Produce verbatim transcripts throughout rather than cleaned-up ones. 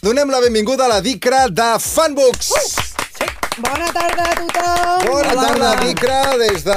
Donem la benvinguda a la Dicra de Fanbooks. Uh! Bona tarda a tothom! Bona tarda, Dicra, des de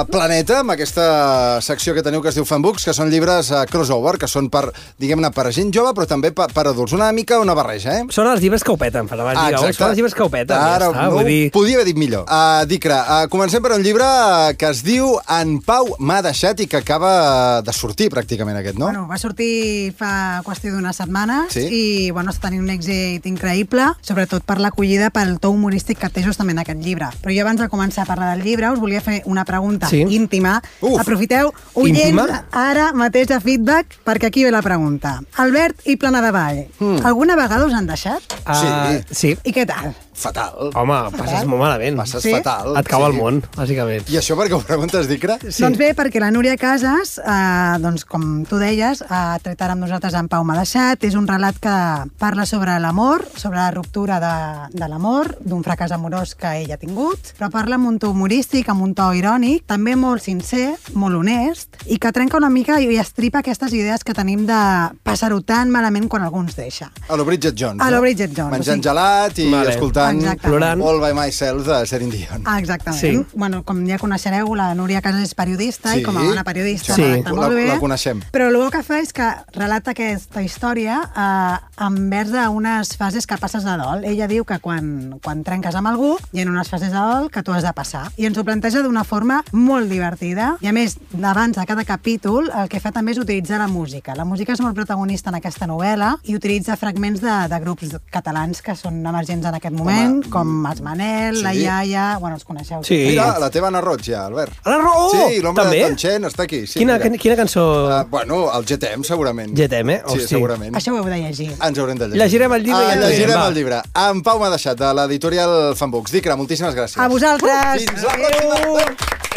Planeta, amb aquesta secció que teniu que es diu Fanbooks, que són llibres uh, crossover, que són per, diguem-ne, per gent jove, però també per, per adults. Una mica una barreja, eh? Són els llibres que ho peten, per abans ah, dir, són els llibres que ho peten. Ara, ja està, no vull dir... podia haver dit millor. Uh, Dicra, uh, comencem per un llibre que es diu En Pau m'ha deixat i que acaba de sortir, pràcticament, aquest, no? Bueno, va sortir fa qüestió d'unes setmanes sí? i bueno, està tenint un èxit increïble, sobretot per l'acollida pel to humorístic que té justament aquest llibre. Però jo abans de començar a parlar del llibre us volia fer una pregunta sí? íntima. Uf. Aprofiteu, oients, ara mateix de feedback, perquè aquí ve la pregunta. Albert i Plana de Vall, mm. alguna vegada us han deixat? Uh, sí. sí. I què tal? Fatal. Home, passes molt malament. Passes sí? fatal. Et cau sí. el món, bàsicament. I això per què ho preguntes, Dicra? Sí. Doncs bé, perquè la Núria Casas, eh, doncs, com tu deies, ha tret ara amb nosaltres En Pau m'ha deixat. És un relat que parla sobre l'amor, sobre la ruptura de, de l'amor, d'un fracàs amorós que ell ha tingut, però parla amb un to humorístic, amb un to irònic, també molt sincer, molt honest, i que trenca una mica i estripa aquestes idees que tenim de passar-ho tan malament quan algú ens deixa. A lo Bridget Jones. A lo no? Bridget Jones. Menjant o sigui... gelat i vale. escoltant Plorant. All by Myself de Celine Dion. Ah, exactament. Sí. Bueno, com ja coneixereu, la Núria Casas és periodista sí. i com a bona periodista Sí. redacta molt la, bé. la coneixem. Però el que fa és que relata aquesta història eh, envers unes fases que passes de dol. Ella diu que quan, quan trenques amb algú hi ha unes fases de dol que tu has de passar. I ens ho planteja d'una forma molt divertida. I a més, abans de cada capítol, el que fa també és utilitzar la música. La música és molt protagonista en aquesta novel·la i utilitza fragments de, de grups catalans que són emergents en aquest moment, Home, com Els Manel, sí. la Iaia... Bueno, els coneixeu. Sí. Mira, la teva Anna Roig, ja, Albert. Anna Roig! Sí, l'home També? de Tanxent està aquí. Sí, quina, mira. quina cançó? Uh, bueno, el G T M, segurament. G T M, eh? Sí, Hosti. segurament. Això ho heu de llegir. Ens haurem de llegir. Llegirem el llibre ah, i ja llegirem va. el llibre. En Pau m'ha deixat, de l'editorial Fanbooks. Dicra, moltíssimes gràcies. A vosaltres! Fins la pròxima!